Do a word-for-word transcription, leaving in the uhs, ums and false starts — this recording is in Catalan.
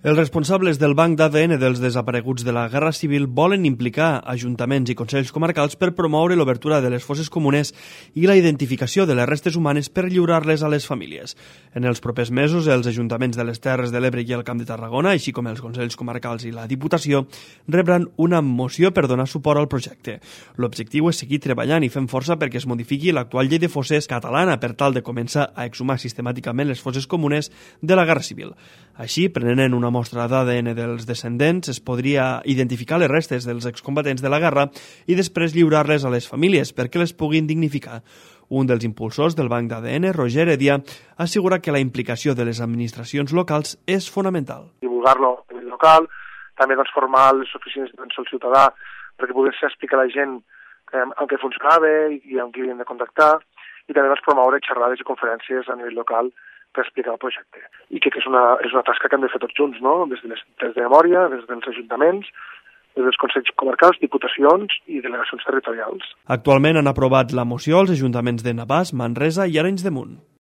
Els responsables del banc d'A D N dels desapareguts de la Guerra Civil volen implicar ajuntaments i consells comarcals per promoure l'obertura de les fosses comunes i la identificació de les restes humanes per lliurar-les a les famílies. En els propers mesos, els ajuntaments de les Terres de l'Ebre i el Camp de Tarragona, així com els consells comarcals i la Diputació, rebran una moció per donar suport al projecte. L'objectiu és seguir treballant i fent força perquè es modifiqui l'actual llei de fosses catalana per tal de començar a exhumar sistemàticament les fosses comunes de la Guerra Civil. Així, prenent una mostra d'A D N dels descendents, es podria identificar les restes dels excombatents de la guerra i després lliurar-les a les famílies perquè les puguin dignificar. Un dels impulsors del banc d'A D N, Roger Heredia, assegura que la implicació de les administracions locals és fonamental. Divulgar-lo a nivell local, també doncs, formar les oficines d'atenció al ciutadà perquè pogués explicar a la gent eh, en què funcionava i amb qui havien de contactar, i també doncs, promoure xerrades i conferències a nivell local per explicar el projecte. I crec que és una, és una tasca que hem de fer tots junts, no? Des de, les, des de memòria, des dels ajuntaments, des dels consells comarcals, diputacions i delegacions territorials. Actualment han aprovat la moció els ajuntaments de Navàs, Manresa i Arenys de Munt.